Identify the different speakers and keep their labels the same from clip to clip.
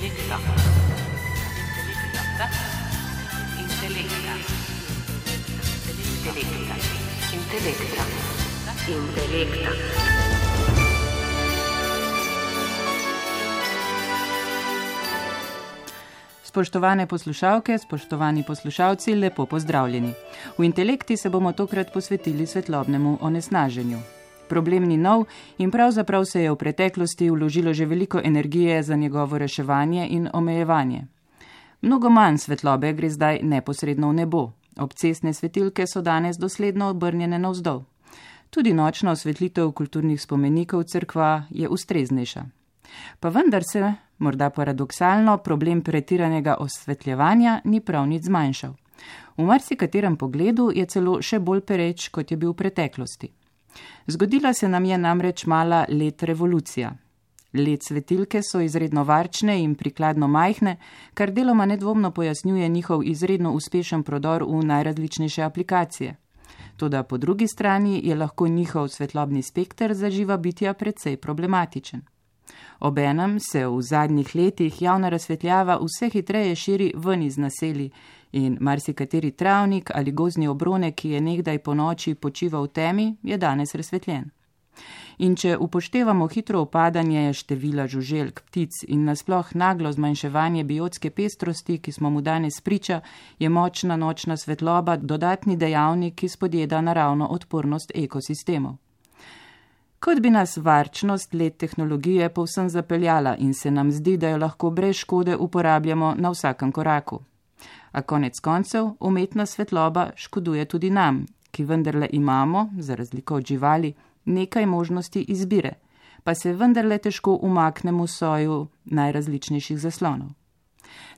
Speaker 1: Intelekta. Spoštovane poslušalke, spoštovani poslušalci, lepo pozdravljeni. V Intelekti se bomo tokrat posvetili svetlobnemu onesnaženju. Problem ni nov in pravzaprav se je v preteklosti vložilo že veliko energije za njegovo reševanje in omejevanje. Mnogo manj svetlobe gre zdaj neposredno v nebo. Obcestne svetilke so danes dosledno obrnjene navzdol. Tudi nočna osvetlitev kulturnih spomenikov cerkva je ustreznejša. Pa vendar se, morda paradoksalno, problem pretiranega osvetljevanja ni prav nič zmanjšal. V marsikaterem pogledu je celo še bolj pereč, kot je bil v preteklosti. Zgodila se nam je namreč mala LED revolucija. LED svetilke so izredno varčne in prikladno majhne, kar deloma nedvomno pojasnjuje njihov izredno uspešen prodor v najrazličnejše aplikacije. Toda po drugi strani je lahko njihov svetlobni spekter za živa bitja precej problematičen. Obenem se v zadnjih letih javna razsvetljava vse hitreje širi ven iz naselij in marsikateri travnik ali gozdni obronek, ki je nekdaj po noči počival v temi, je danes razsvetljen. In če upoštevamo hitro upadanje števila žuželk, ptic in nasploh naglo zmanjševanje biotske pestrosti, ki smo mu danes priča, je močna nočna svetloba dodatni dejavnik, ki spodjeda naravno odpornost ekosistemov. Kot bi nas varčnost LED tehnologije povsem zapeljala in se nam zdi, da jo lahko brez škode uporabljamo na vsakem koraku. A konec koncev umetna svetloba škoduje tudi nam, ki vendarle imamo, za razliko od živali, nekaj možnosti izbire, pa se vendarle težko umaknemo v soju najrazličnejših zaslonov.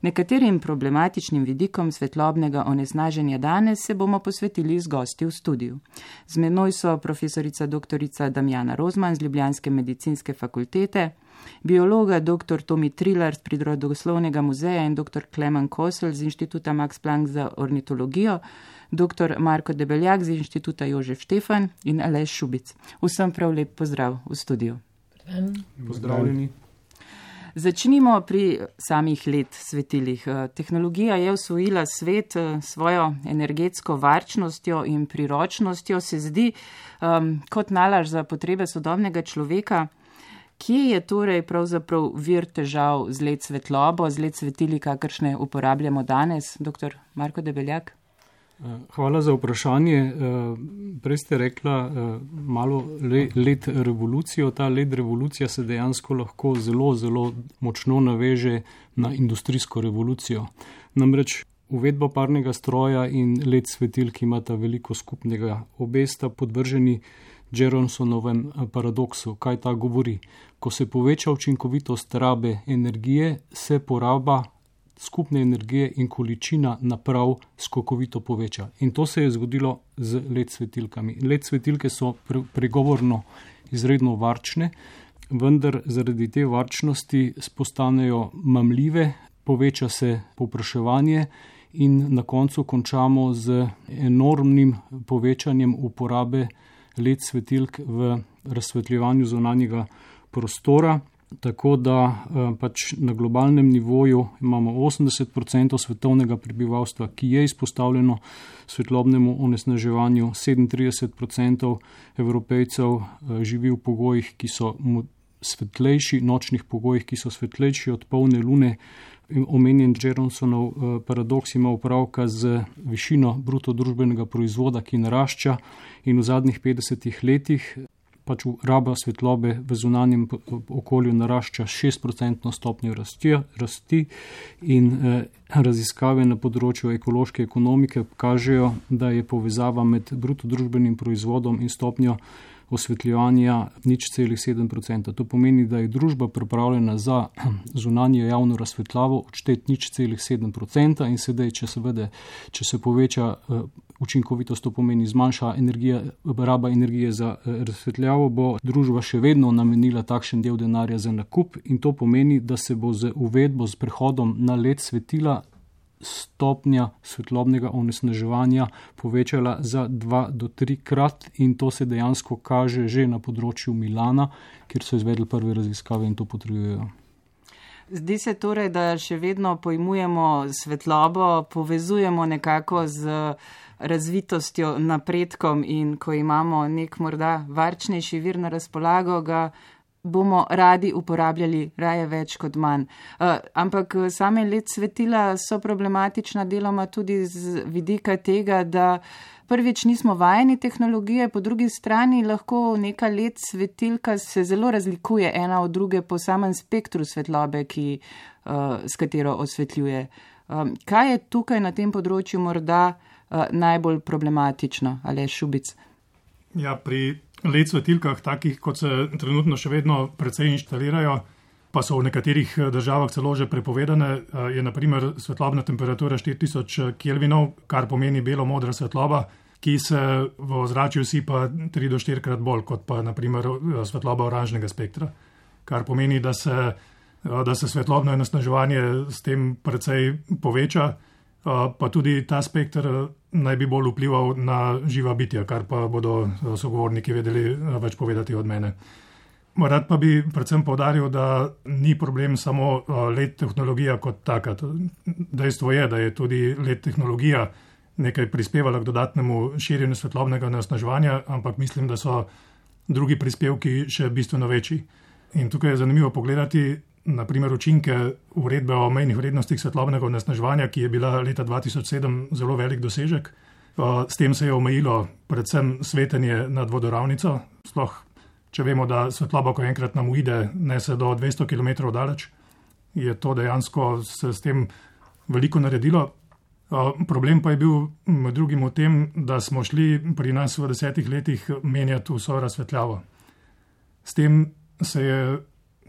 Speaker 1: Nekaterim problematičnim vidikom svetlobnega onesnaženja danes se bomo posvetili z gosti v studiu. Z menoj so profesorica dr. Damjana Rozman z ljubljanske medicinske fakultete, biologa dr. Tomi Trilar z Prirodoslovnega muzeja in dr. Klemen Kosel z Inštituta Max Planck za ornitologijo, dr. Marko Debeljak z Inštituta Jožef Štefan in Aleš Šubic. Vsem prav lep pozdrav v studiu.
Speaker 2: Pozdravljeni.
Speaker 1: Začnimo pri samih LED svetilih. Tehnologija je osvojila svet svojo energetsko varčnostjo in priročnostjo, se zdi kot nalaž za potrebe sodobnega človeka. Kje je torej pravzaprav vir težav z LED svetlobo, z LED svetili, kakršne uporabljamo danes? Dr. Marko Debeljak.
Speaker 2: Hvala za vprašanje. Prej ste rekla malo LED revolucijo. Ta LED revolucija se dejansko lahko zelo močno naveže na industrijsko revolucijo. Namreč uvedba parnega stroja in LED svetilk imata veliko skupnega. Obe sta podvrženi Jeronsonovem paradoksu. Kaj ta govori? Ko se poveča učinkovitost rabe energije, se poraba skupne energije in količina naprav skokovito poveča. In to se je zgodilo z LED svetilkami. LED svetilke so pregovorno izredno varčne, vendar zaradi te varčnosti postanejo mamljive, poveča se povpraševanje in na koncu končamo z enormnim povečanjem uporabe LED svetilk v razsvetljevanju zunanjega prostora. Tako da pač na globalnem nivoju imamo 80% svetovnega prebivalstva, ki je izpostavljeno svetlobnemu onesnaževanju, 37% Evropejcev živi v pogojih, ki so svetlejši, nočnih pogojih, ki so svetlejši od polne lune. Omenjen Jeronsonov paradoks ima opravka z višino bruto družbenega proizvoda, ki narašča in v zadnjih 50 letih pač raba svetlobe v zunanjem okolju narašča 6% stopnjo rasti in raziskave na področju ekološke ekonomike kažejo, da je povezava med bruto družbenim proizvodom in stopnjo osvetljevanja 0,7%. To pomeni, da je družba pripravljena za zunanje javno razsvetljavo odšteti 0,7% in sedaj, če se poveča učinkovitost, to pomeni zmanjša raba energije za razsvetljavo, bo družba še vedno namenila takšen del denarja za nakup in to pomeni, da se bo z uvedbo, s prehodom na LED svetila stopnja svetlobnega onesnaževanja povečala za 2 do 3 krat in to se dejansko kaže že na področju Milana, kjer so izvedli prve raziskave in to potrjujejo.
Speaker 1: Zdi se torej, da še vedno pojmujemo svetlobo, povezujemo nekako z razvitostjo, napredkom in ko imamo nek morda varčnejši vir na razpolago, ga bomo radi uporabljali raje več kot manj. Ampak same LED svetila so problematična deloma tudi z vidika tega, da prvič nismo vajeni tehnologije, po drugi strani lahko neka LED svetilka se zelo razlikuje ena od druge po samem spektru svetlobe, s katero osvetljuje. Kaj je tukaj na tem področju morda najbolj problematično, Aleš Šubic?
Speaker 3: Ja, pri LED svetilkah, takih kot se trenutno še vedno precej inštalirajo, pa so v nekaterih državah celo že prepovedane, je na primer svetlobna temperatura 4000 kelvinov, kar pomeni belo-modra svetloba, ki se v ozračju sipa 3 do 4 krat bolj kot pa na primer svetloba oranžnega spektra, kar pomeni, da se svetlobno onesnaževanje s tem precej poveča, pa tudi ta spektr naj bi bolj vplival na živa bitja, kar pa bodo sogovorniki vedeli več povedati od mene. Rad pa bi predvsem poudaril, da ni problem samo LED tehnologija kot taka. Dejstvo je, da je tudi LED tehnologija nekaj prispevala k dodatnemu širjenju svetlobnega onesnaževanja, ampak mislim, da so drugi prispevki še bistveno večji. In tukaj je zanimivo pogledati na primer učinke uredbe o mejnih vrednostih svetlobnega onesnaževanja, ki je bila leta 2007 zelo velik dosežek. S tem se je omejilo predvsem svetenje nad vodoravnico, sploh če vemo, da svetloba, ko enkrat nam uide, nese do 200 km daleč, je to dejansko se s tem veliko naredilo. Problem pa je bil med drugim v tem, da smo šli pri nas v 10 letih menjati vso razsvetljavo. S tem se je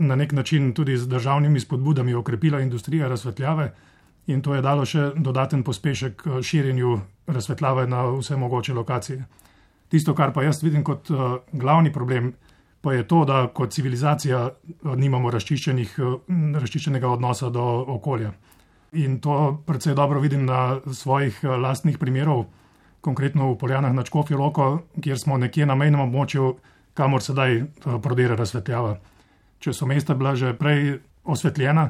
Speaker 3: na nek način tudi z državnimi spodbudami okrepila industrija razsvetljave in to je dalo še dodaten pospešek širjenju razsvetljave na vse mogoče lokacije. Tisto, kar pa jaz vidim kot glavni problem, pa je to, da kot civilizacija nimamo razčiščenega odnosa do okolja. In to predvsej dobro vidim na svojih lastnih primerov, konkretno v Poljanah nad Škofjo Loko, kjer smo nekje na mejnem območju, kamor sedaj prodira razsvetljava. Če so mesta bila že prej osvetljena,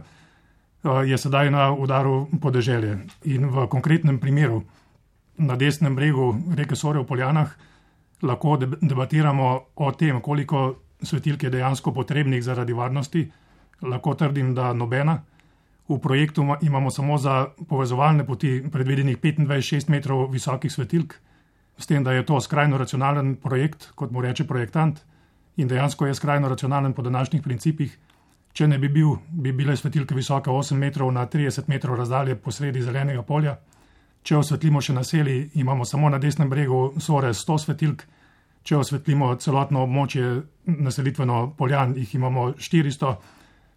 Speaker 3: je sedaj na udaru podeželje. In v konkretnem primeru na desnem bregu reke Sore v Poljanah lahko debatiramo o tem, koliko svetilk je dejansko potrebnih zaradi varnosti. Lahko trdim, da nobena. V projektu imamo samo za povezovalne poti predvidenih 25-6 metrov visokih svetilk, s tem, da je to skrajno racionalen projekt, kot mu reče projektant, in dejansko je skrajno racionalen po današnjih principih. Če ne bi bile svetilke visoke 8 metrov na 30 metrov razdalje posredi zelenega polja. Če osvetlimo še naselji, imamo samo na desnem bregu Sore 100 svetilk. Če osvetlimo celotno območje naselitveno Poljan, jih imamo 400.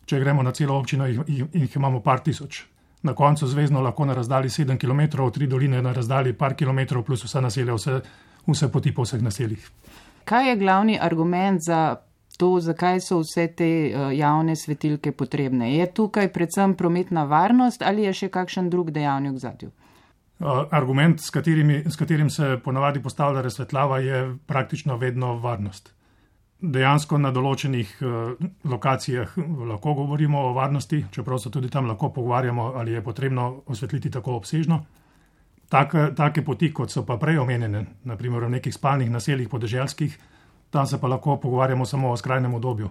Speaker 3: Če gremo na celo občino, jih imamo par tisoč. Na koncu zvezno lahko na razdalji 7 km, 3 doline na razdalji par kilometrov, plus vsa naselja, vse poti po vseh naseljih.
Speaker 1: Kaj je glavni argument za to, zakaj so vse te javne svetilke potrebne? Je tukaj predvsem prometna varnost ali je še kakšen drug dejavnik v zadju?
Speaker 3: Argument, s katerim se ponavadi postavlja razsvetljava, je praktično vedno varnost. Dejansko na določenih lokacijah lahko govorimo o varnosti, čeprav se tudi tam lahko pogovarjamo, ali je potrebno osvetliti tako obsežno. Take poti, kot so pa prej omenjene, naprimer v nekih spalnih naseljih podeželskih, tam se pa lahko pogovarjamo samo o skrajnem obdobju.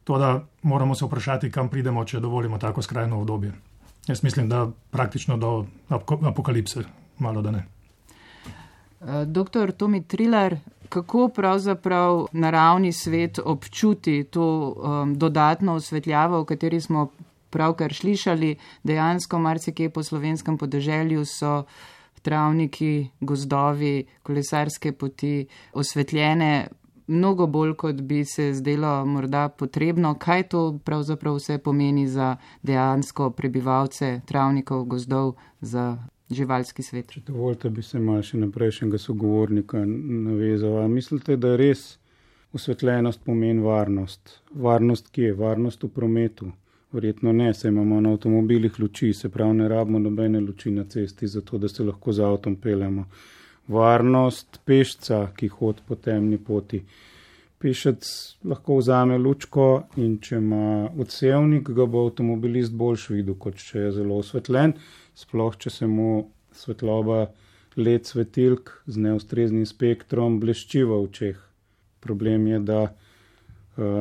Speaker 3: Toda moramo se vprašati, kam pridemo, če dovolimo tako skrajno obdobje. Jaz mislim, da praktično do apokalipse, malo da ne.
Speaker 1: Doktor Tomi Trilar, kako pravzaprav naravni svet občuti to dodatno osvetljavo, o kateri smo pravkar slišali? Dejansko marsikje po slovenskem podeželju so travniki, gozdovi, kolesarske poti osvetljene mnogo bolj, kot bi se zdelo morda potrebno. Kaj to pravzaprav vse pomeni za dejansko prebivalce travnikov, gozdov, za živalski svet?
Speaker 4: Če dovolite, bi se malo še na prejšnjega sogovornika navezal. Mislite, da res osvetljenost pomeni varnost? Varnost kje? Varnost v prometu? Verjetno ne, saj imamo na avtomobilih luči, se pravi ne rabimo nobene luči na cesti, zato da se lahko z avtom peljemo. Varnost pešca, ki hodi po temni poti. Pešec lahko vzame lučko in če ima odsevnik, ga bo avtomobilist boljš videl, kot če je zelo osvetljen, sploh če se mu svetloba LED svetilk z neustreznim spektrom blešči v očeh. Problem je, da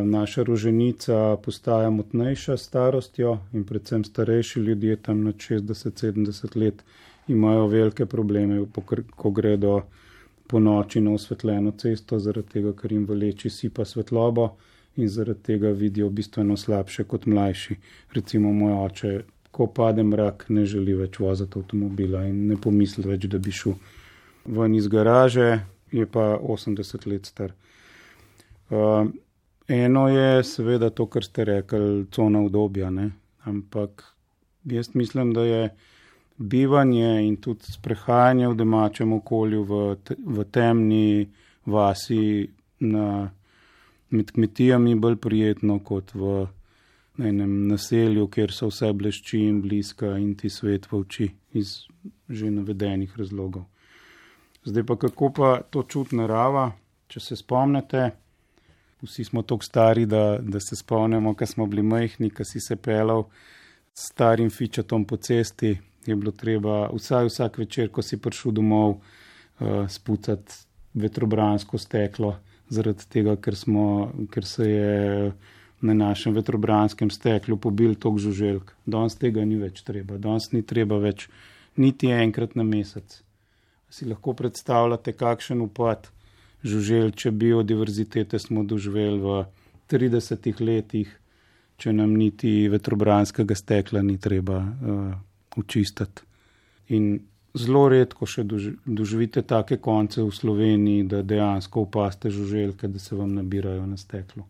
Speaker 4: naša roženica postaja motnejša s starostjo in predvsem starejši ljudje tam nad 60-70 let imajo velike probleme, ko gredo po noči na osvetljeno cesto, zaradi tega, ker jim v leči sipa svetlobo in zaradi tega vidijo bistveno slabše kot mlajši. Recimo moj oče, ko pade mrak, ne želi več voziti avtomobila in ne pomisli več, da bi šel ven iz garaže, je pa 80 let star. Eno je seveda to, kar ste rekli, cona udobja, ne? Ampak jaz mislim, da je bivanje in tudi sprehajanje v domačem okolju v temni vasi med kmetijami bolj prijetno kot v enem naselju, kjer so vse blešči in bliska in ti svet v oči iz že navedenih razlogov. Zdaj pa kako pa to čuti narava, če se spomnite, vsi smo toliko stari, da se spomnimo, ko smo bili majhni, ko si se pelal s starim fičatom po cesti, je bilo treba vsak večer, ko si prišel domov, spucati vetrobransko steklo, zaradi tega, ker se je na našem vetrobranskem steklu pobil toliko žuželk. Danes tega ni več treba. Danes ni treba več niti enkrat na mesec. Si lahko predstavljate, kakšen upad žuželče biodiverzitete smo doživeli v 30 letih, če nam niti vetrobranskega stekla ni treba očistiti. In zelo redko še doživite take konce v Sloveniji, da dejansko opaste žuželke, da se vam nabirajo na steklu.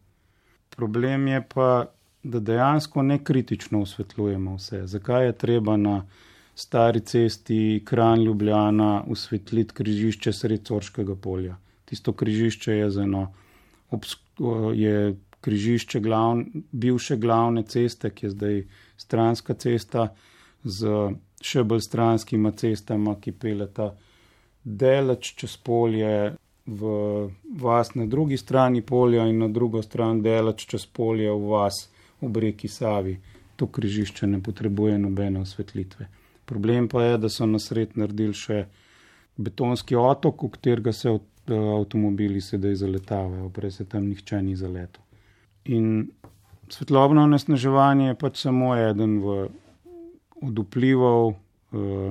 Speaker 4: Problem je pa, da dejansko nekritično osvetljujemo vse. Zakaj je treba na stari cesti Kranj Ljubljana osvetliti križišče sred Sorškega polja? Tisto križišče je križišče bivše glavne ceste, ki je zdaj stranska cesta, z še bolj stranskima cestama, ki peljeta daleč čez polje v vas na drugi strani polja in na drugo stran daleč čez polje v vas ob reki Savi. To križišče ne potrebuje nobene osvetlitve. Problem pa je, da so na sred naredili še betonski otok, v katerega se avtomobili sedaj zaletavajo, prej se tam nihče ni zaletel. In svetlobno onesnaževanje je pač samo eden od vplivov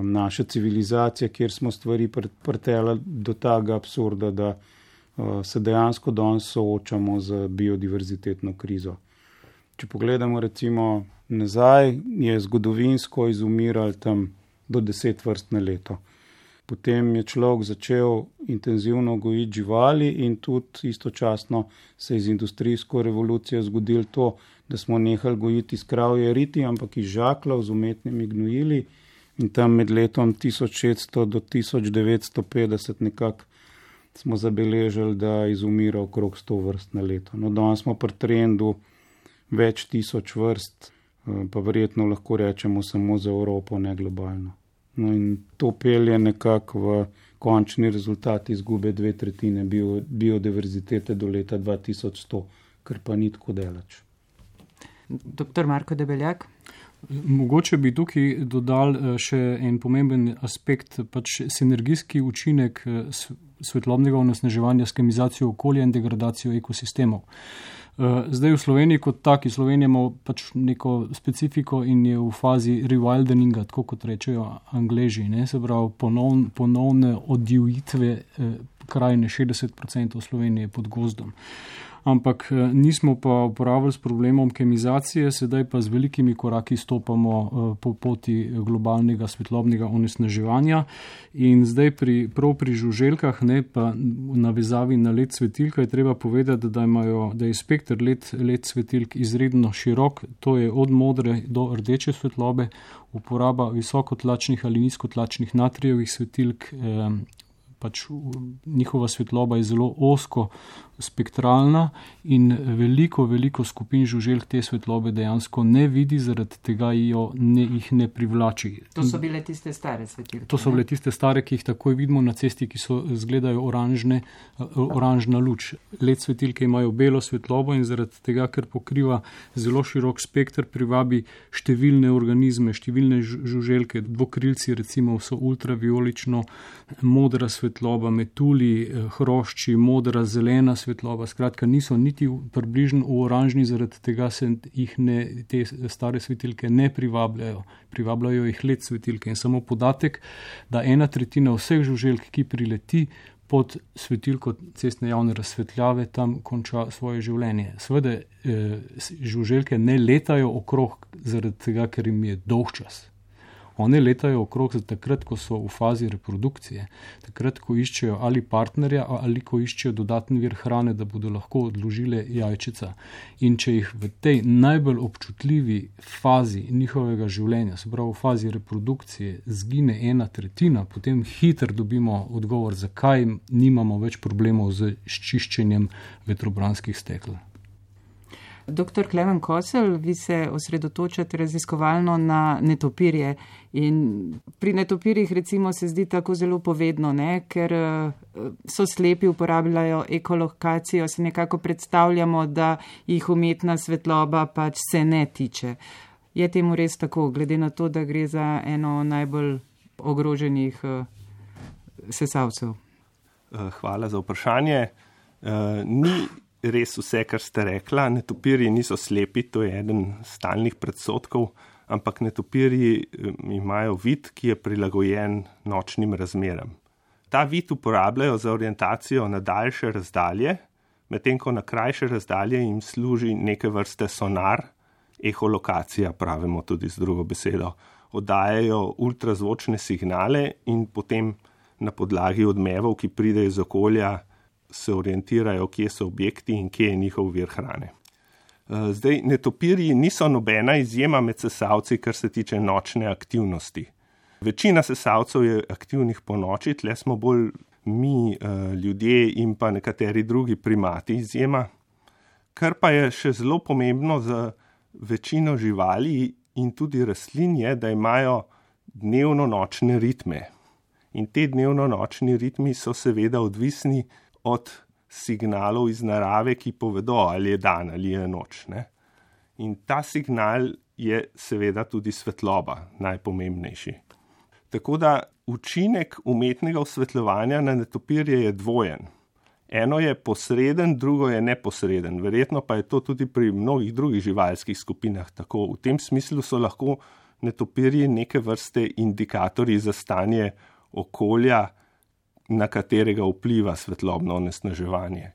Speaker 4: naše civilizacije, kjer smo stvari prteli do tega absurda, da se dejansko danes soočamo z biodiverzitetno krizo. Če pogledamo recimo nazaj, je zgodovinsko izumiralo tam do 10 vrst na leto. Potem je človek začel intenzivno gojiti živali in tudi istočasno se je z industrijsko revolucijo zgodilo to, da smo nehali gojiti iz kravje riti, ampak iz žaklov z umetnimi gnojili in tam med letom 1600 do 1950 nekako smo zabeležili, da izumira okrog 100 vrst na leto. No, danes smo pri trendu več tisoč vrst, pa verjetno lahko rečemo samo za Evropo, ne globalno. No in to pelje nekako v končni rezultat izgube 2/3 biodiverzitete do leta 2100, kar pa ni tako daleč.
Speaker 1: Dr. Marko Debeljak?
Speaker 2: Mogoče bi tukaj dodal še en pomemben aspekt, pač sinergijski učinek svetlobnega onesnaževanja s kemizacijo okolja in degradacijo ekosistemov. Zdaj v Sloveniji kot taki, Slovenija ima pač neko specifiko in je v fazi rewildeninga, tako kot rečejo Angleži, ne? Se pravi ponovne odjivitve krajine, 60% Slovenije pod gozdom. Ampak nismo pa uporabljali s problemom kemizacije, sedaj pa z velikimi koraki stopamo po poti globalnega svetlobnega onesnaževanja. In zdaj prav pri žuželkah, ne, pa v navezavi na LED svetilka, je treba povedati, da je spektr LED svetilk izredno širok, to je od modre do rdeče svetlobe, uporaba visokotlačnih ali nizkotlačnih natrijevih svetilk, pač njihova svetloba je zelo ozko spektralna in veliko skupin žuželk te svetlobe dejansko ne vidi, zaradi tega jih ne privlači.
Speaker 1: To so bile tiste stare svetilke?
Speaker 2: To so bile tiste stare, ki jih takoj vidimo na cesti, ki so izgledajo oranžna luč. LED svetilke imajo belo svetlobo in zaradi tega, ker pokriva zelo širok spekter, privabi številne organizme, številne žuželke, dvokrilci recimo so ultraviolično modra svetloba, metulji, hrošči, modra, zelena svetloba, skratka niso niti približno v oranžni, zaradi tega se jih te stare svetilke ne privabljajo. Privabljajo jih LED svetilke in samo podatek, da 1/3 vseh žuželk, ki prileti pod svetilko cestne javne razsvetljave, tam konča svoje življenje. Seveda žuželke ne letajo okrog zaradi tega, ker jim je dolgčas. One letajo okrog takrat, ko so v fazi reprodukcije, takrat, ko iščejo ali partnerja ali ko iščejo dodatni vir hrane, da bodo lahko odložile jajčica. In če jih v tej najbolj občutljivi fazi njihovega življenja, se pravi v fazi reprodukcije, zgine 1/3, potem hitro dobimo odgovor, zakaj nimamo več problemov z čiščenjem vetrobranskih stekel.
Speaker 1: Dr. Klemen Koselj, vi se osredotočate raziskovalno na netopirje in pri netopirjih recimo se zdi tako zelo povedno, ker so slepi, uporabljajo ekolokacijo, se nekako predstavljamo, da jih umetna svetloba pač se ne tiče. Je temu res tako, glede na to, da gre za eno najbolj ogroženih sesalcev?
Speaker 5: Hvala za vprašanje. Ni res vse, kar ste rekla. Netopirji niso slepi, to je eden stalnih predsodkov, ampak netopirji imajo vid, ki je prilagojen nočnim razmeram. Ta vid uporabljajo za orientacijo na daljše razdalje, medtem ko na krajše razdalje jim služi neke vrste sonar, eholokacija pravimo tudi z drugo besedo. Oddajajo ultrazvočne signale in potem na podlagi odmevov, ki pridejo iz okolja, se orientirajo, kje so objekti in kje je njihov vir hrane. Zdaj, netopirji niso nobena izjema med sesalci, kar se tiče nočne aktivnosti. Večina sesalcev je aktivnih po noči, tle smo bolj mi, ljudje in pa nekateri drugi primati izjema. Kar pa je še zelo pomembno za večino živali in tudi rastlin je, da imajo dnevno-nočne ritme. In te dnevno-nočni ritmi so seveda odvisni od signalov iz narave, ki povedo, ali je dan ali je noč. In ta signal je seveda tudi svetloba, najpomembnejši. Tako da učinek umetnega osvetljevanja na netopirje je dvojen. Eno je posreden, drugo je neposreden. Verjetno pa je to tudi pri mnogih drugih živalskih skupinah tako. V tem smislu so lahko netopirji neke vrste indikatorji za stanje okolja, na katerega vpliva svetlobno onesnaževanje.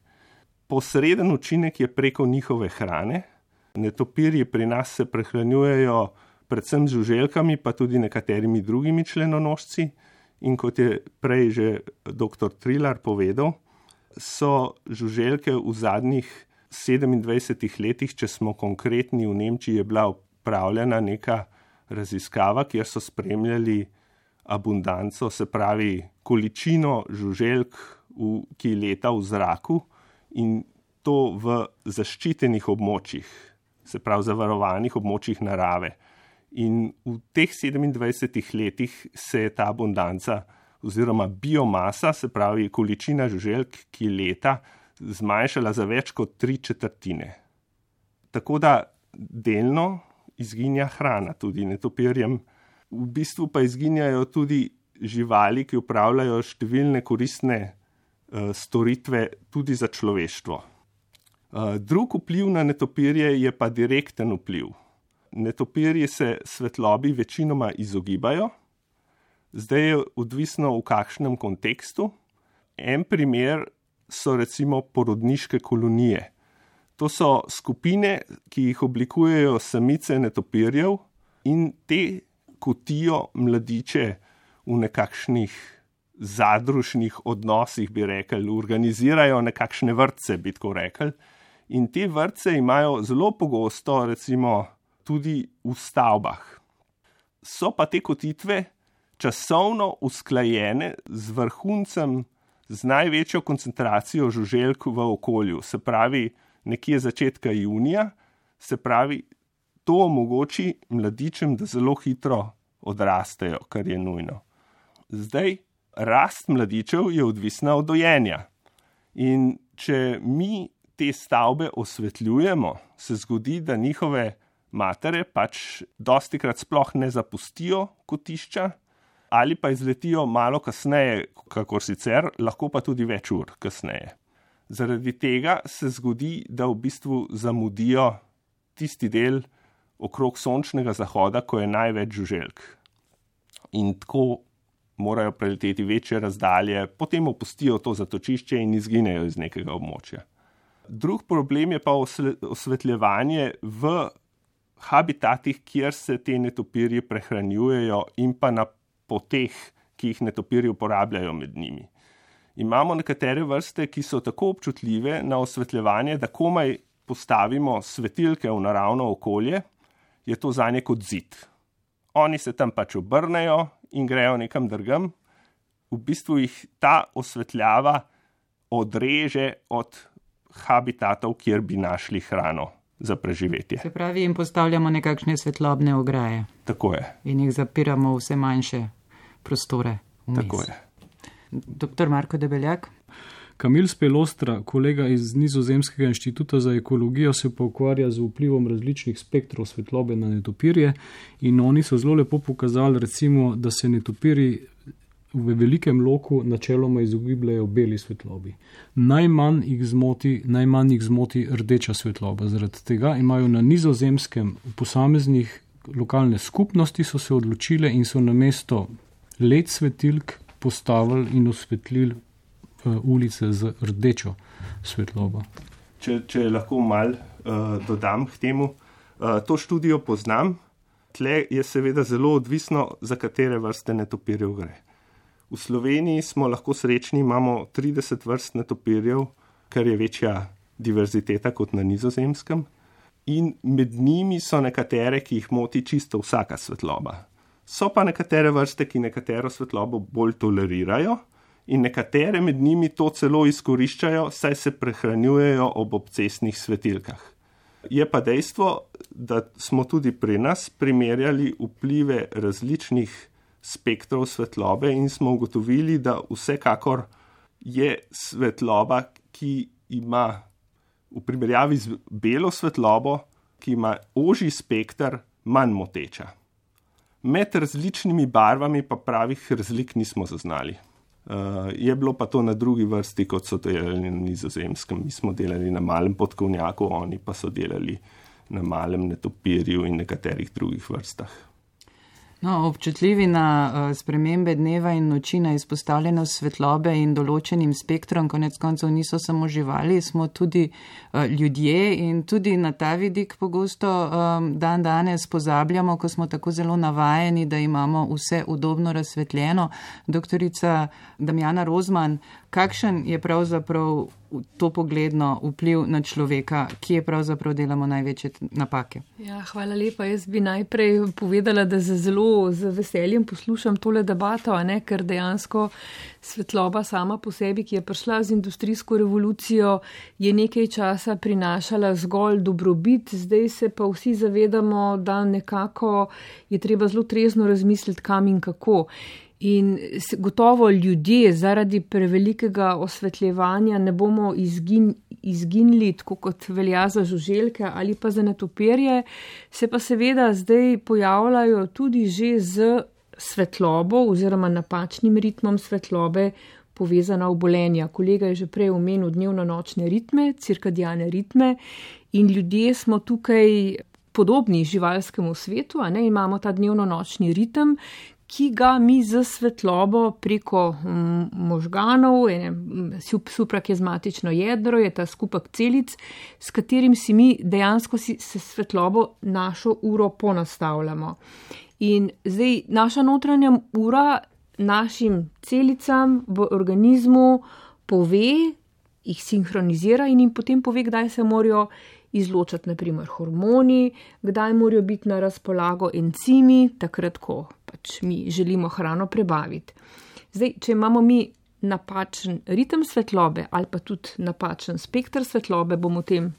Speaker 5: Posreden učinek je preko njihove hrane. Netopirji pri nas se prehranjujejo predvsem z žuželkami, pa tudi nekaterimi drugimi členonožci. In kot je prej že dr. Trilar povedal, so žuželke v zadnjih 27 letih, če smo konkretni, v Nemčiji je bila opravljena neka raziskava, kjer so spremljali abundanco, se pravi količino žuželk, ki leta v zraku in to v zaščitenih območjih, se pravi zavarovanih območjih narave. In v teh 27 letih se je ta abundanca oziroma biomasa, se pravi količina žuželk, ki leta, zmanjšala za več kot 3/4. Tako da delno izginja hrana tudi netopirjem. V bistvu pa izginjajo tudi živali, ki upravljajo številne koristne storitve tudi za človeštvo. Drug vpliv na netopirje je pa direkten vpliv. Netopirji se svetlobi večinoma izogibajo. Zdaj je odvisno v kakšnem kontekstu. En primer so recimo porodniške kolonije. To so skupine, ki jih oblikujejo samice netopirjev in te kotijo mladiče v nekakšnih zadružnih odnosih, bi rekli, organizirajo nekakšne vrtce, bi tako rekli. In te vrtce imajo zelo pogosto recimo tudi v stavbah. So pa te kotitve časovno usklajene z vrhuncem z največjo koncentracijo žuželk v okolju, se pravi nekje začetka junija, se pravi, to omogoči mladičem, da zelo hitro odrastejo, kar je nujno. Zdaj, rast mladičev je odvisna od dojenja. In če mi te stavbe osvetljujemo, se zgodi, da njihove matere pač dostikrat sploh ne zapustijo kotišča ali pa izletijo malo kasneje, kakor sicer, lahko pa tudi več ur kasneje. Zaradi tega se zgodi, da v bistvu zamudijo tisti del okrog sončnega zahoda, ko je največ žuželk. In tako morajo preleteti večje razdalje, potem opustijo to zatočišče in izginejo iz nekega območja. Drug problem je pa osvetljevanje v habitatih, kjer se te netopirji prehranjujejo in pa na poteh, ki jih netopirji uporabljajo med njimi. Imamo nekatere vrste, ki so tako občutljive na osvetljevanje, da komaj postavimo svetilke v naravno okolje, je to zanje kot zid. Oni se tam pač obrnejo in grejo nekam drugam. V bistvu jih ta osvetljava odreže od habitatov, kjer bi našli hrano za preživetje.
Speaker 1: Se pravi, jim postavljamo nekakšne svetlobne ograje.
Speaker 5: Tako je.
Speaker 1: In jih zapiramo v vse manjše prostore vmes.
Speaker 5: Tako je.
Speaker 1: Dr. Marko Debeljak.
Speaker 2: Kamil Spelostra, kolega iz Nizozemskega inštituta za ekologijo, se pa ukvarja z vplivom različnih spektrov svetlobe na netopirje in oni so zelo lepo pokazali, recimo, da se netopirji v velikem loku načeloma izogibljajo beli svetlobi. Najmanj jih zmoti rdeča svetloba. Zaradi tega imajo na Nizozemskem posameznih lokalne skupnosti so se odločile in so namesto LED svetilk postavili in osvetlili ulice z rdečo svetlobo.
Speaker 5: Če lahko malo dodam k temu, to študijo poznam, tle je seveda zelo odvisno, za katere vrste netopirjev gre. V Sloveniji smo lahko srečni, imamo 30 vrst netopirjev, kar je večja diverziteta kot na Nizozemskem, in med njimi so nekatere, ki jih moti čisto vsaka svetloba. So pa nekatere vrste, ki nekatero svetlobo bolj tolerirajo, in nekatere med njimi to celo izkoriščajo, saj se prehranjujejo ob obcestnih svetilkah. Je pa dejstvo, da smo tudi pri nas primerjali vplive različnih spektrov svetlobe in smo ugotovili, da vsekakor je svetloba, ki ima v primerjavi z belo svetlobo, ki ima ožji spekter, manj moteča. Med različnimi barvami pa pravih razlik nismo zaznali. Je bilo pa to na drugi vrsti, kot so delali na Nizozemskem. Mi smo delali na malem podkovnjaku, oni pa so delali na malem netopirju in nekaterih drugih vrstah.
Speaker 1: No, občutljivi na spremembe dneva in noči, na izpostavljenost svetlobe in določenim spektrom, konec koncev niso samo živali, smo tudi ljudje in tudi na ta vidik pogosto dan danes pozabljamo, ko smo tako zelo navajeni, da imamo vse udobno razsvetljeno. Doktorica Damjana Rozman, kakšen je pravzaprav to pogledno vpliv na človeka, kje pravzaprav delamo največje napake?
Speaker 6: Ja, hvala lepa. Jaz bi najprej povedala, da z veseljem poslušam tole debato, ker dejansko svetloba sama po sebi, ki je prišla z industrijsko revolucijo, je nekaj časa prinašala zgolj dobrobit, zdaj se pa vsi zavedamo, da nekako je treba zelo trezno razmisliti, kam in kako. In gotovo ljudje zaradi prevelikega osvetljevanja ne bomo izginili, tako kot velja za žuželke ali pa za netopirje, se pa seveda zdaj pojavljajo tudi že z svetlobo oziroma napačnim ritmom svetlobe povezana obolenja. Kolega je že prej omenil dnevno-nočne ritme, cirkadiane ritme in ljudje smo tukaj podobni živalskemu svetu, imamo ta dnevno-nočni ritem, ki ga mi z svetlobo preko možganov, suprakizmatično jedro, je ta skupek celic, s katerim si mi dejansko se svetlobo našo uro ponastavljamo. In zdaj naša notranja ura našim celicam v organizmu pove, jih sinhronizira in jim potem pove, kdaj se morajo izločati, naprimer, hormoni, kdaj morajo biti na razpolago encimi, takrat, ko pač mi želimo hrano prebaviti. Zdaj, če imamo mi napačen ritem svetlobe ali pa tudi napačen spektr svetlobe, bom o tem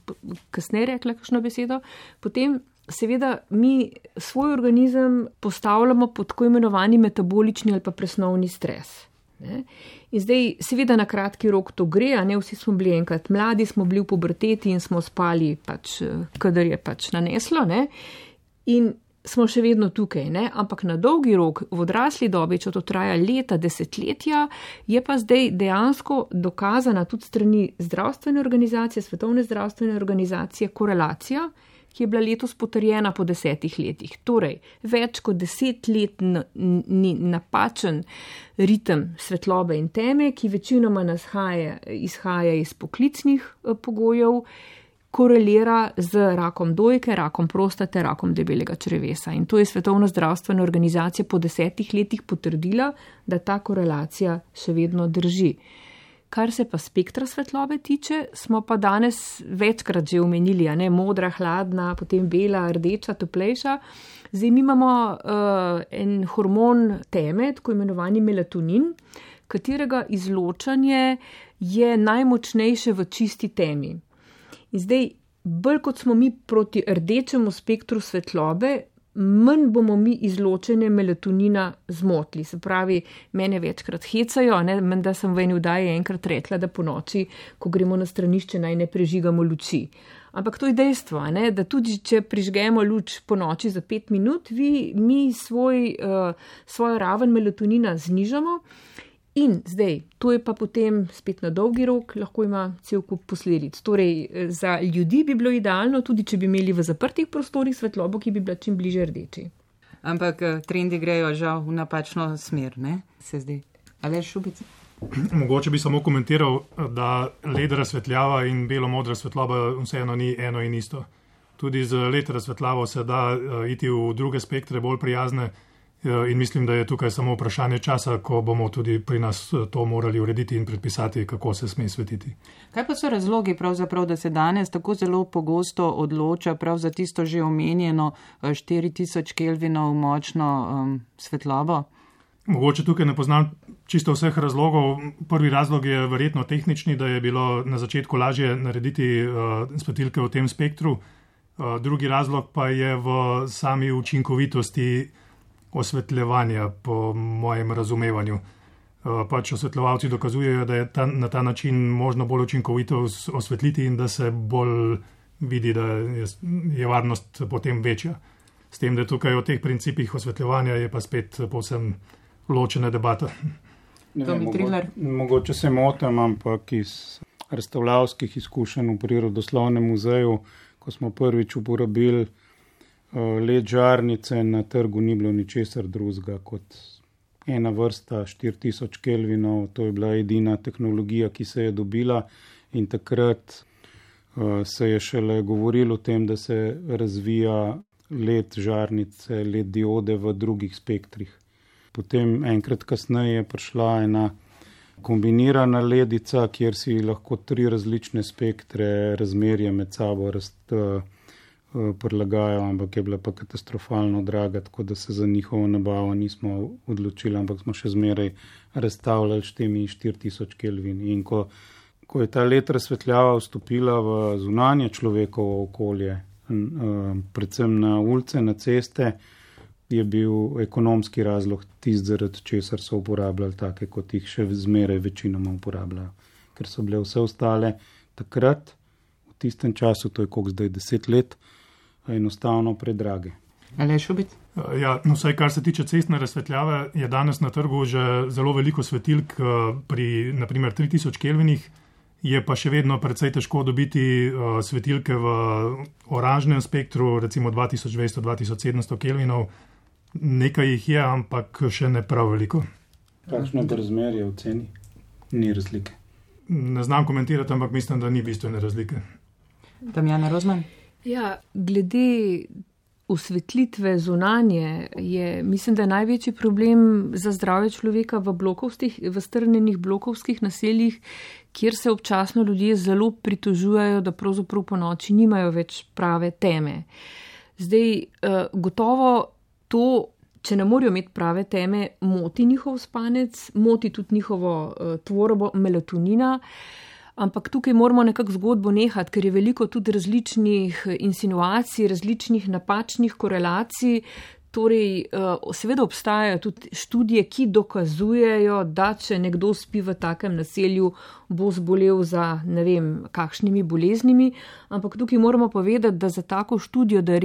Speaker 6: kasneje rekla kakšno besedo, potem seveda mi svoj organizem postavljamo pod tako imenovani metabolični ali pa presnovni stres. Ne? In zdaj seveda na kratki rok to gre, a ne vsi smo bili enkrat mladi, smo bili v puberteti in smo spali pač, kadar je pač naneslo, ne? In smo še vedno tukaj, ne? Ampak na dolgi rok, v odrasli dobi, če to traja leta, desetletja, je pa zdaj dejansko dokazana tudi strani zdravstvene organizacije, Svetovne zdravstvene organizacije, korelacija, ki je bila letos potrjena po 10 letih. Torej, več kot 10 let ni napačen ritem svetlobe in teme, ki večinoma izhaja iz poklicnih pogojev, korelira z rakom dojke, rakom prostate, rakom debelega črevesa. In to je Svetovna zdravstvena organizacija po 10 letih potrdila, da ta korelacija še vedno drži. Kar se pa spektra svetlobe tiče, smo pa danes večkrat že omenili, a ne, modra, hladna, potem bela, rdeča, toplejša. Zdaj mi imamo en hormon teme, tako imenovani melatonin, katerega izločanje je najmočnejše v čisti temi. In zdaj, bolj kot smo mi proti rdečemu spektru svetlobe, manj bomo mi izločenje melatonina zmotili. Se pravi, mene večkrat hecajo, ne, menda sem v eni vdaji enkrat rekla, da po noči, ko gremo na stranišče, naj ne prežigamo luči. Ampak to je dejstvo, ne, da tudi če prižgemo luč po noči za 5 minut, mi svojo raven melatonina znižamo. In zdaj, to je pa potem spet na dolgi rok, lahko ima cel kup posledic. Torej, za ljudi bi bilo idealno, tudi če bi imeli v zaprtih prostorih svetlobo, ki bi bila čim bliže rdeči.
Speaker 1: Ampak trendi grejo žal v napačno smer, ne? Se zdi. Aleš Šubic?
Speaker 3: Mogoče bi samo komentiral, da led razsvetljava in belo-modra svetloba vseeno ni eno in isto. Tudi z led razsvetljavo se da iti v druge spektre, bolj prijazne. In mislim, da je tukaj samo vprašanje časa, ko bomo tudi pri nas to morali urediti in predpisati, kako se sme svetiti.
Speaker 1: Kaj pa so razlogi pravzaprav, da se danes tako zelo pogosto odloča prav za tisto že omenjeno 4000 kelvinov močno svetlobo?
Speaker 3: Mogoče tukaj ne poznam čisto vseh razlogov. Prvi razlog je verjetno tehnični, da je bilo na začetku lažje narediti svetilke v tem spektru. Drugi razlog pa je v sami učinkovitosti osvetljevanja, po mojem razumevanju. Pač osvetljevalci dokazujejo, da je na ta način možno bolj učinkovito osvetliti in da se bolj vidi, da je varnost potem večja. S tem, da tukaj o teh principih osvetljevanja je pa spet povsem ločena debata.
Speaker 4: Mogoče se motim, ampak iz razstavljavskih izkušenj v Prirodoslovnem muzeju, ko smo prvič uporabili led žarnice, na trgu ni bilo ničesar drugega kot ena vrsta 4000 kelvinov. To je bila edina tehnologija, ki se je dobila, in takrat se je šele govorilo o tem, da se razvija led žarnice, led diode v drugih spektrih. Potem enkrat kasneje je prišla ena kombinirana ledica, kjer si lahko 3 različne spektre razmerje med sabo prilagajajo, ampak je bila pa katastrofalno draga, tako da se za njihovo nabavo nismo odločili, ampak smo še zmeraj razstavljali s temi 4000 kelvin. In ko je ta led razsvetljava vstopila v zunanje človekovo okolje, predvsem na ulice, na ceste, je bil ekonomski razlog tisti, zaradi česar so uporabljali take, kot jih še zmeraj večinoma uporabljajo. Ker so bile vse ostale takrat, v tistem času, to je koliko zdaj 10 let, enostavno predrage.
Speaker 1: Aleš Šubic?
Speaker 3: Ja, no, vsaj kar se tiče cestne razsvetljave, je danes na trgu že zelo veliko svetilk pri naprimer 3000 kelvinih, je pa še vedno precej težko dobiti svetilke v oranžnem spektru, recimo 2200-2700 kelvinov. Nekaj jih je, ampak še ne prav veliko.
Speaker 4: Kakšno je razmerje v ceni? Ni razlike.
Speaker 3: Ne znam komentirati, ampak mislim, da ni bistvene razlike.
Speaker 1: Damjana Rozman?
Speaker 6: Ja, glede osvetlitve zunanje je, mislim, da je največji problem za zdravje človeka v strnjenih blokovskih naseljih, kjer se občasno ljudje zelo pritožujejo, da pravzaprav po noči nimajo več prave teme. Zdaj, gotovo to če ne morejo imeti prave teme, moti njihov spanec, moti tudi njihovo tvorbo melatonina. Ampak tukaj moramo nekako zgodbo nehati, ker je veliko tudi različnih insinuacij, različnih napačnih korelacij. Torej, seveda obstajajo tudi študije, ki dokazujejo, da če nekdo spi v takem naselju, bo zbolel za ne vem kakšnimi boleznimi, ampak tukaj moramo povedati, da za tako študijo, da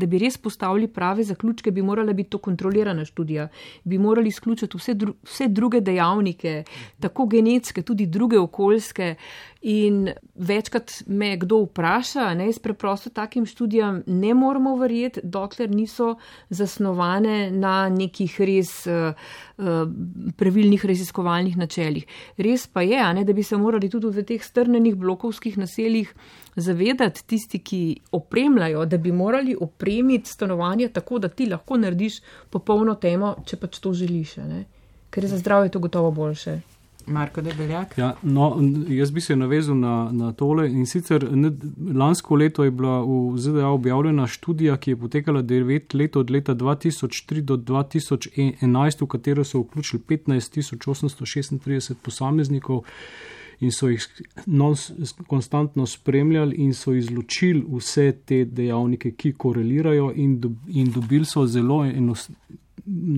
Speaker 6: bi res postavili prave zaključke, bi morala biti to kontrolirana študija, bi morali izključiti vse druge dejavnike, tako genetske, tudi druge okoljske. In večkrat me kdo vpraša, jaz preprosto takim študijam ne moramo verjeti, dokler niso zasnovane na nekih res pravilnih raziskovalnih načelih. Res pa je, da bi se morali tudi v teh strnenih blokovskih naseljih zavedati tisti, ki opremljajo, da bi morali opremiti stanovanje tako, da ti lahko narediš popolno temo, če pač to želiš, ker je za zdravje to gotovo boljše.
Speaker 1: Marko Debeljak.
Speaker 2: Ja, jaz bi se navezal na tole in sicer lansko leto je bila v ZDA objavljena študija, ki je potekala 9 let od leta 2003 do 2011, v katero so vključili 15.836 posameznikov in so jih konstantno spremljali in so izločili vse te dejavnike, ki korelirajo in dobili so zelo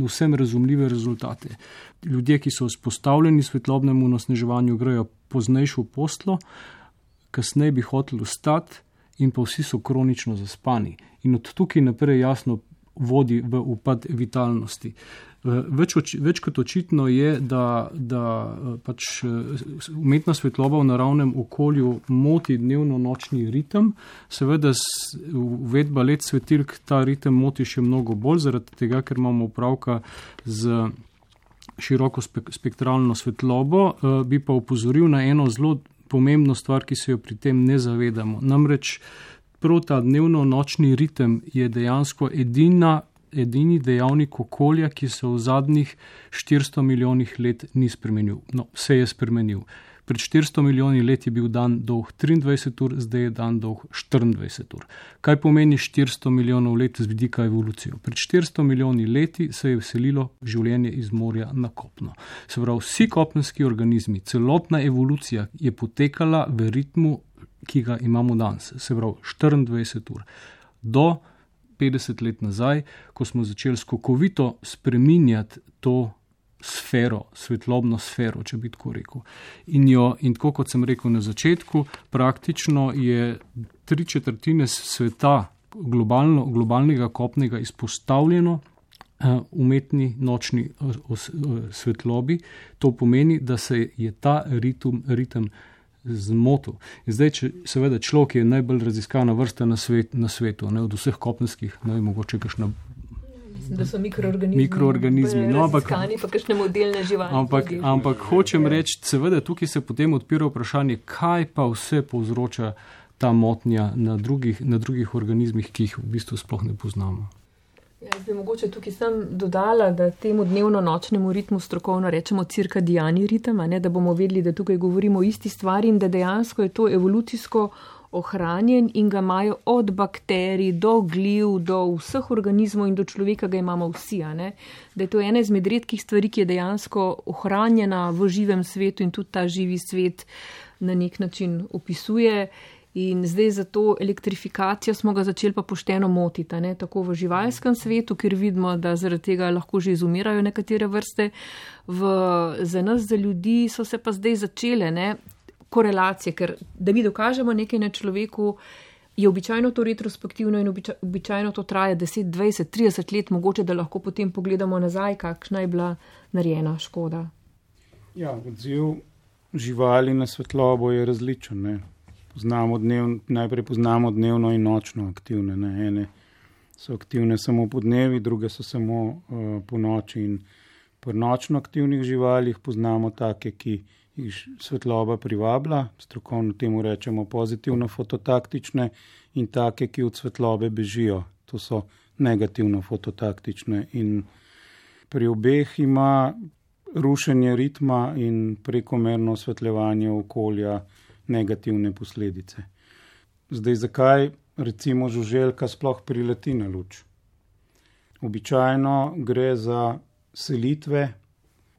Speaker 2: vsem razumljive rezultate. Ljudje, ki so vzpostavljeni svetlobnemu onesnaževanju, grejo poznejšo posteljo, kasneje bi hoteli vstati in pa vsi so kronično zaspani. In od tukaj naprej jasno vodi v upad vitalnosti. Več kot očitno je, da pač umetna svetloba v naravnem okolju moti dnevno-nočni ritem. Seveda uvedba LED svetilk ta ritem moti še mnogo bolj, zaradi tega, ker imamo opravka z široko spektralno svetlobo, bi pa opozoril na eno zelo pomembno stvar, ki se jo pri tem ne zavedamo. Namreč prav ta dnevno-nočni ritem je dejansko edini dejavnik okolja, ki se v zadnjih 400 milijonih let ni spremenil. No, se je spremenil. Pred 400 milijoni let je bil dan dolg 23 ur, zdaj je dan dolg 24 ur. Kaj pomeni 400 milijonov let z vidika evolucije? Pred 400 milijoni leti se je vselilo življenje iz morja na kopno. Se pravi, vsi kopenski organizmi, celotna evolucija je potekala v ritmu, ki ga imamo danes. Se pravi, 24 ur. Do 50 let nazaj, ko smo začeli skokovito spreminjati to sfero, svetlobno sfero, če bi tako rekel. In tako kot sem rekel na začetku, praktično je 3/4 sveta globalnega kopnega izpostavljeno umetni nočni svetlobi. To pomeni, da se je ta ritem zmotil. In zdaj, seveda človek je najbolj raziskana vrsta na svetu, od vseh kopenskih, mogoče kakšna.
Speaker 6: Mislim, da so mikroorganizmi.
Speaker 2: No,
Speaker 6: raziskani pa kakšne modelne živali.
Speaker 2: Ampak hočem reči, seveda tukaj se potem odpira vprašanje, kaj pa vse povzroča ta motnja na drugih organizmih, ki jih v bistvu sploh ne poznamo.
Speaker 6: Jaz bi mogoče tukaj sem dodala, da temu dnevno-nočnemu ritmu strokovno rečemo cirkadiani ritem, da bomo vedeli, da tukaj govorimo o isti stvari in da dejansko je to evolucijsko ohranjen in ga imajo od bakterij do gliv, do vseh organizmov in do človeka ga imamo vsi. Da je to ena izmed redkih stvari, ki je dejansko ohranjena v živem svetu in tudi ta živi svet na nek način opisuje. In zdaj za to elektrifikacijo smo ga začeli pa pošteno motiti, tako v živalskem svetu, kjer vidimo, da zaradi tega lahko že izumirajo nekatere vrste. Za nas, za ljudi, so se pa zdaj začele korelacije, ker da mi dokažemo nekaj na človeku, je običajno to retrospektivno in običajno to traja 10, 20, 30 let, mogoče da lahko potem pogledamo nazaj, kakšna je bila narejena škoda.
Speaker 4: Ja, odziv živali na svetlobo je različen, Najprej poznamo dnevno in nočno aktivne. Ene so aktivne samo po dnevi, druge so samo po noči. In pri nočno aktivnih živalih poznamo take, ki jih svetloba privablja, strokovno temu rečemo pozitivno fototaktične, in take, ki od svetlobe bežijo. To so negativno fototaktične. In pri obeh ima rušenje ritma in prekomerno osvetljevanje okolja negativne posledice. Zdaj, zakaj recimo žuželka sploh prileti na luč? Običajno gre za selitve,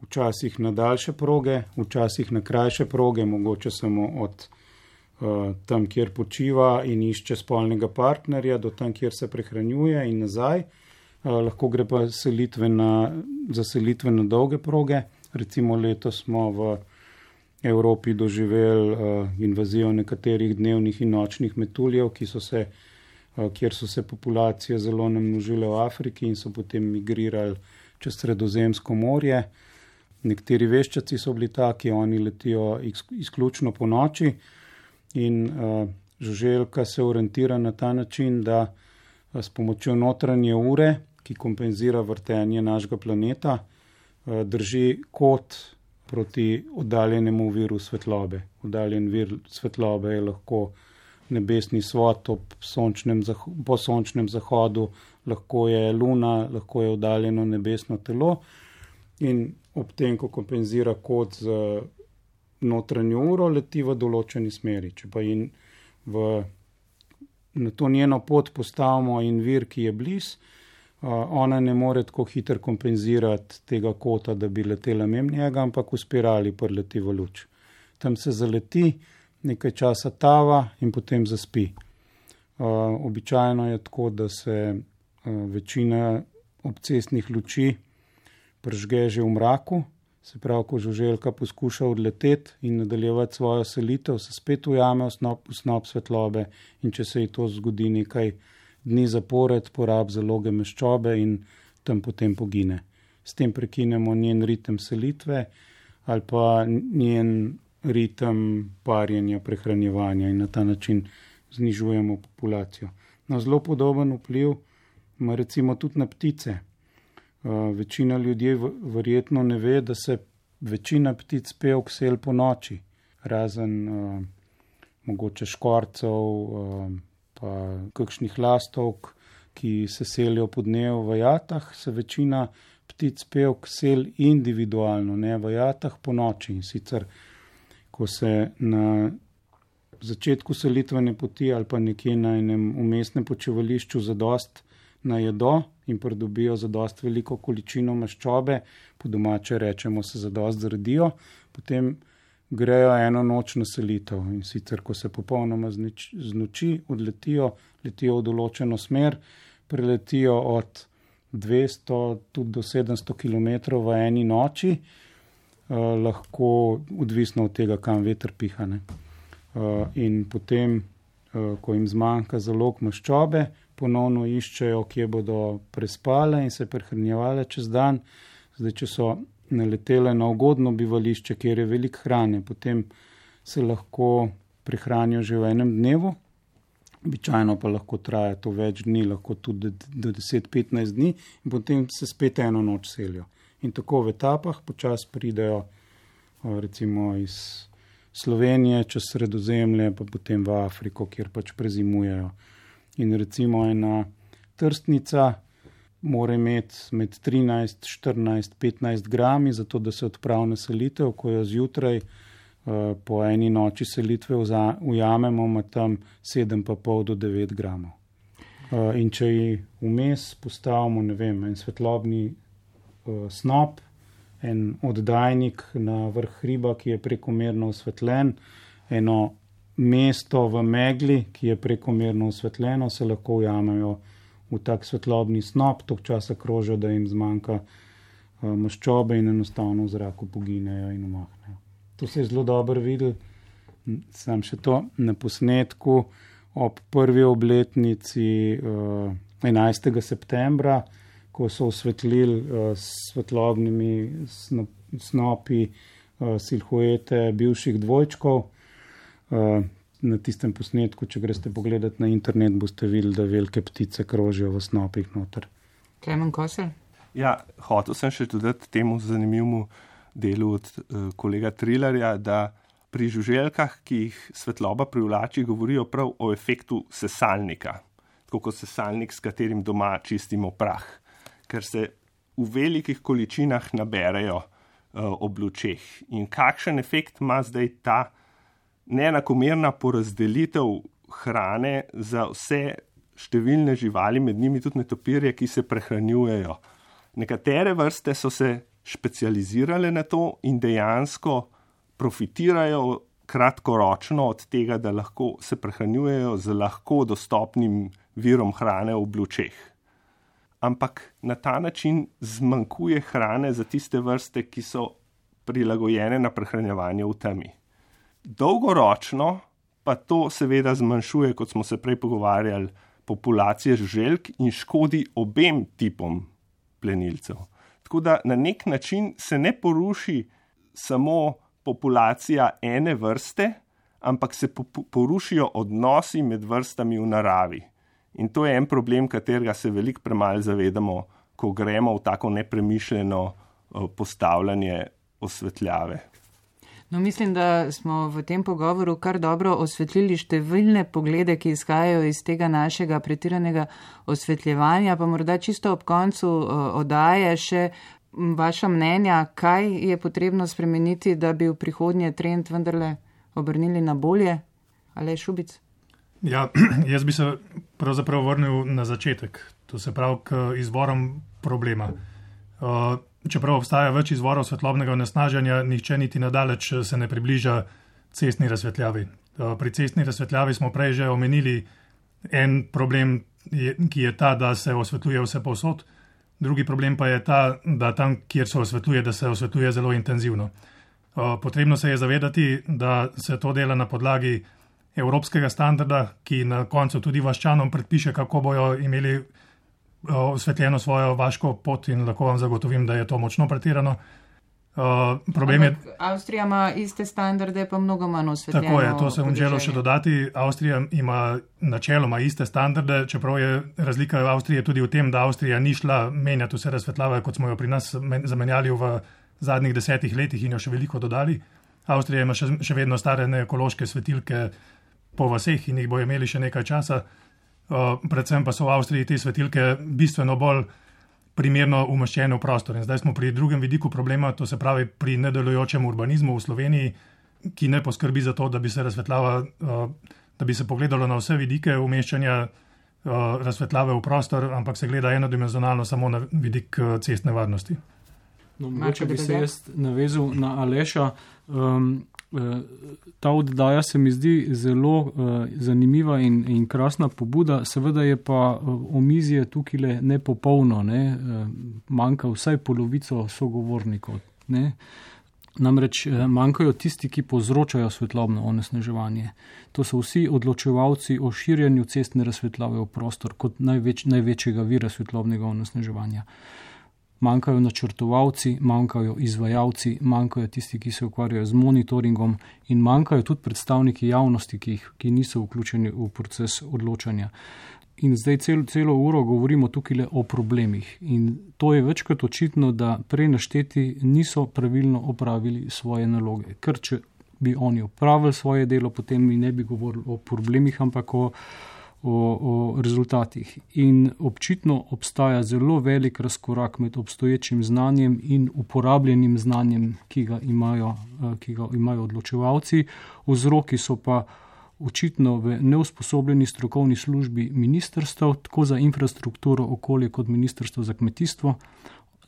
Speaker 4: včasih na daljše proge, včasih na krajše proge, mogoče samo od tam, kjer počiva in išče spolnega partnerja, do tam, kjer se prehranjuje in nazaj. Lahko gre pa za selitve na dolge proge. Recimo letos smo v Evropi doživeli invazijo nekaterih dnevnih in nočnih metuljev, kjer so se populacije zelo namnožile v Afriki in so potem migrirali čez Sredozemsko morje. Nekateri veščaci so bili taki, oni letijo izključno po noči in žuželka se orientira na ta način, da s pomočjo notranje ure, ki kompenzira vrtenje našega planeta, drži kot proti oddaljenemu viru svetlobe. Oddaljen vir svetlobe je lahko nebesni svod po sončnem zahodu, lahko je luna, lahko je oddaljeno nebesno telo in ob tem, ko kompenzira kot z notranjo uro, leti v določeni smeri. Če pa na to njeno pot postavimo in vir, ki je blizu, ona ne more tako hitro kompenzirati tega kota, da bi letela mimo njega, ampak v spirali preleti v luč. Tam se zaleti, nekaj časa tava in potem zaspi. Običajno je tako, da se večina obcestnih luči prižge že v mraku, se pravi, ko žuželka poskuša odleteti in nadaljevati svojo selitev, se spet ujame v snop svetlobe in če se ji to zgodi nekaj dni zapored, porabi zaloge maščobe in tam potem pogine. S tem prekinemo njen ritem selitve ali pa njen ritem parjenja, prehranjevanja in na ta način znižujemo populacijo. No, zelo podoben vpliv ima recimo tudi na ptice. Večina ljudi verjetno ne ve, da se večina ptic pevk seli po noči, razen mogoče škorcev, pa kakšnih lastovk, ki se selijo po dnevu v jatah, se večina ptic pevk seli individualno, ne v jatah po noči. In sicer, ko se na začetku selitvene poti ali pa nekje na enem umestnem počivališču zadost najedo in pridobijo zadost veliko količino maščobe, po domače rečemo se zadost zredijo, potem grejo eno noč na selitev in sicer, ko se popolnoma znoči, letijo v določeno smer, preletijo od 200 tudi do 700 km v eni noči, lahko odvisno od tega, kam veter piha. In potem, ko jim zmanjka zalog maščobe, ponovno iščejo, kje bodo prespale in se prehranjevale čez dan. Zdaj, če so naletele na ugodno bivališče, kjer je veliko hrane, potem se lahko prehranijo že v enem dnevu, običajno pa lahko traja to več dni, lahko tudi do 10-15 dni in potem se spet eno noč selijo. In tako v etapah počasi pridejo recimo iz Slovenije čez Sredozemlje, pa potem v Afriko, kjer pač prezimujejo. In recimo ena trstnica mora imeti med 13, 14, 15 grami, zato da se odpravi na selitev, ko jo zjutraj po eni noči selitve ujamemo, ima tam 7,5 do 9 gramov. In če ji vmes postavimo, ne vem, en svetlobni snop, en oddajnik na vrh hriba, ki je prekomerno osvetljen, eno mesto v megli, ki je prekomerno osvetljeno, se lahko ujamejo v tak svetlobni snop, tok časa krožijo, da jim zmanjka maščobe in enostavno v zraku poginejo in umahnejo. To se je zelo dobro videl, sam še to na posnetku ob prvi obletnici 11. septembra, ko so osvetlili s svetlobnimi snopi silhuete bivših dvojčkov. Na tistem posnetku, če greste pogledati na internet, boste videli, da velike ptice krožijo v snopih noter.
Speaker 1: Klemen Kosel?
Speaker 5: Ja, hotel sem še dodati temu zanimivemu delu od kolega Trilerja, da pri žuželkah, ki jih svetloba privlači, govorijo prav o efektu sesalnika, tako kot sesalnik, s katerim doma čistimo prah, ker se v velikih količinah naberejo ob lučeh. In kakšen efekt ima zdaj ta neenakomerna porazdelitev hrane za vse številne živali, med njimi tudi netopirje, ki se prehranjujejo. Nekatere vrste so se specializirale na to in dejansko profitirajo kratkoročno od tega, da lahko se prehranjujejo z lahko dostopnim virom hrane v blučeh. Ampak na ta način zmanjkuje hrane za tiste vrste, ki so prilagojene na prehranjevanje v temi. Dolgoročno pa to seveda zmanjšuje, kot smo se prej pogovarjali, populacije žuželk in škodi obem tipom plenilcev. Tako da na nek način se ne poruši samo populacija ene vrste, ampak se porušijo odnosi med vrstami v naravi. In to je en problem, katerega se veliko premalo zavedamo, ko gremo v tako nepremišljeno postavljanje osvetljave.
Speaker 1: No, mislim, da smo v tem pogovoru kar dobro osvetlili številne poglede, ki izhajajo iz tega našega pretiranega osvetljevanja, pa morda čisto ob koncu oddaje še vaša mnenja, kaj je potrebno spremeniti, da bi v prihodnje trend vendarle obrnili na bolje? Aleš Šubic?
Speaker 3: Ja, jaz bi se pravzaprav vrnil na začetek, to se pravi k izvorom problema. Čeprav obstaja več izvorov svetlobnega onesnaženja, nihče niti nadaleč se ne približa cestni razsvetljavi. Pri cestni razsvetljavi smo prej že omenili en problem, ki je ta, da se osvetljuje vse povsod. Drugi problem pa je ta, da tam, kjer se osvetljuje, da se osvetljuje zelo intenzivno. Potrebno se je zavedati, da se to dela na podlagi evropskega standarda, ki na koncu tudi vaščanom predpiše, kako bojo imeli osvetljeno svojo vaško pot in lahko vam zagotovim, da je to močno pretirano.
Speaker 1: Avstrija ima iste standarde, pa mnogo manj osvetljeno.
Speaker 3: Tako je, to sem želel še dodati. Avstrija ima načeloma iste standarde, čeprav je razlika Avstrije tudi v tem, da Avstrija ni šla menjati vse razsvetljave, kot smo jo pri nas zamenjali v zadnjih 10 letih in jo še veliko dodali. Avstrija ima še vedno stare ekološke svetilke po vaseh in jih bo imeli še nekaj časa. Predvsem pa so v Avstriji te svetilke bistveno bolj primerno umeščene v prostor. In zdaj smo pri drugem vidiku problema, to se pravi pri nedelujočem urbanizmu v Sloveniji, ki ne poskrbi za to, da bi se razsvetljava, da bi se pogledalo na vse vidike umeščanja razsvetljave v prostor, ampak se gleda enodimenzionalno samo na vidik cestne varnosti.
Speaker 2: No, mogoče bi se jaz navezal na Aleša. Ta oddaja se mi zdi zelo zanimiva in krasna pobuda, seveda je pa omizje tukaj nepopolno, ne? Manjka vsaj polovico sogovornikov. Ne? Namreč manjkajo tisti, ki povzročajo svetlobno onesnaževanje. To so vsi odločevalci o širjenju cestne razsvetljave v prostor kot največjega vira svetlobnega onesnaževanja. Manjkajo načrtovalci, manjkajo izvajalci, manjkajo tisti, ki se ukvarjajo z monitoringom in manjkajo tudi predstavniki javnosti, ki niso vključeni v proces odločanja. In zdaj celo uro govorimo tukaj o problemih in to je večkrat očitno, da prej našteti niso pravilno opravili svoje naloge. Ker če bi oni opravili svoje delo, potem mi ne bi govorili o problemih, ampak o rezultatih. In občitno obstaja zelo velik razkorak med obstoječim znanjem in uporabljenim znanjem, ki ga imajo odločevalci. Vzroki so pa očitno v neusposobljeni strokovni službi ministrstev, tako za infrastrukturo, okolje kot ministrstvo za kmetijstvo,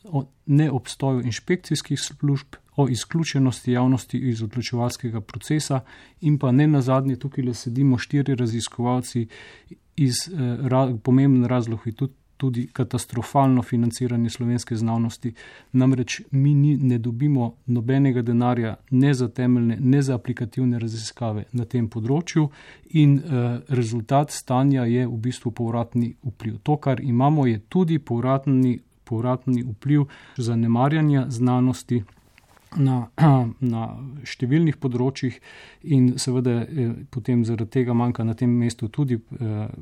Speaker 2: o neobstoju inšpekcijskih služb, o izključenosti javnosti iz odločevalskega procesa in pa ne nazadnje tukaj sedimo 4 raziskovalci iz pomemben razlog je tudi katastrofalno financiranje slovenske znanosti. Namreč mi ne dobimo nobenega denarja ne za temeljne, ne za aplikativne raziskave na tem področju in rezultat stanja je v bistvu povratni vpliv. To, kar imamo, je tudi povratni vpliv zanemarjanja znanosti na številnih področjih in seveda potem zaradi tega manjka na tem mestu tudi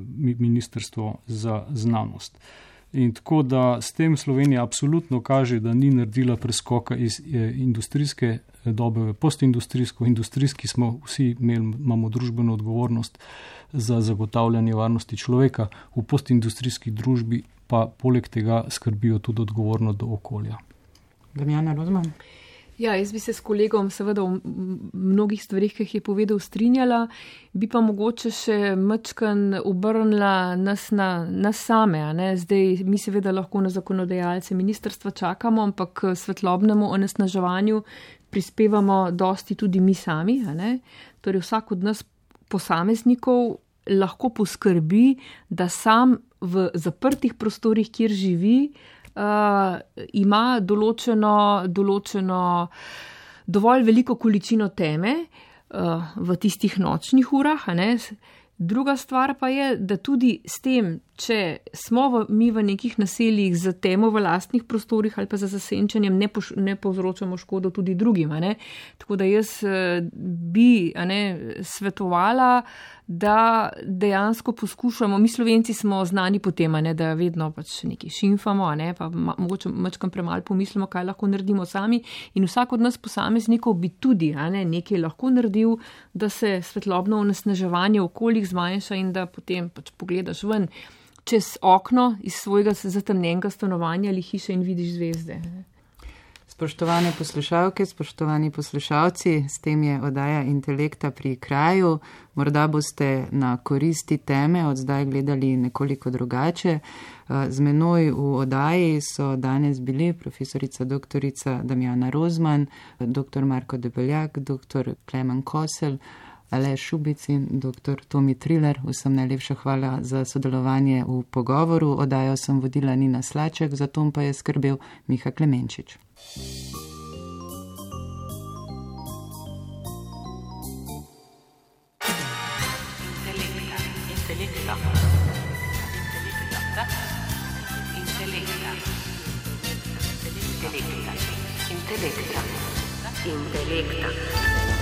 Speaker 2: Ministrstvo za znanost. In tako da s tem Slovenija absolutno kaže, da ni naredila preskoka iz industrijske dobe v postindustrijsko. Industrijski smo vsi imamo družbeno odgovornost za zagotavljanje varnosti človeka, v postindustrijski družbi pa poleg tega skrbijo tudi odgovorno do okolja.
Speaker 1: Damjana Rozman.
Speaker 6: Ja, jaz bi se s kolegom seveda v mnogih stvarih, ki jih je povedal, strinjala, bi pa mogoče še mačkan obrnila nas same. Zdaj mi seveda lahko na zakonodajalce ministrstva čakamo, ampak k svetlobnemu onesnaževanju prispevamo dosti tudi mi sami. Torej vsak od nas posameznikov lahko poskrbi, da sam v zaprtih prostorih, kjer živi, ima določeno dovolj veliko količino teme v tistih nočnih urah. Druga stvar pa je, da tudi s tem, če smo mi v nekih naseljih za temo v lastnih prostorih ali pa za zasenčenjem, ne povzročamo škodo tudi drugim. Tako da jaz bi svetovala, da dejansko poskušamo, mi Slovenci smo znani po tem, da vedno pač nekaj šimfamo, pa mogoče mačkam premalo pomislimo, kaj lahko naredimo sami, in vsak od nas posameznikov bi tudi nekaj lahko naredil, da se svetlobno onesnaževanje v okoljih zmanjša in da potem pač pogledaš ven čez okno iz svojega zatemnjenega stanovanja ali hiše in vidiš zvezde.
Speaker 1: Spoštovane poslušalke, spoštovani poslušalci, s tem je oddaja Intelekta pri kraju. Morda boste na koristi teme od zdaj gledali nekoliko drugače. Z menoj v oddaji so danes bili profesorica doktorica Damjana Rozman, dr. Marko Debeljak, dr. Klemen Kosel, Aleš Šubic in dr. Tomi Triler. Vsem najlepša hvala za sodelovanje v pogovoru. Oddajo sem vodila Nina Slaček, za tom pa je skrbel Miha Klemenčič.
Speaker 7: Intelekta.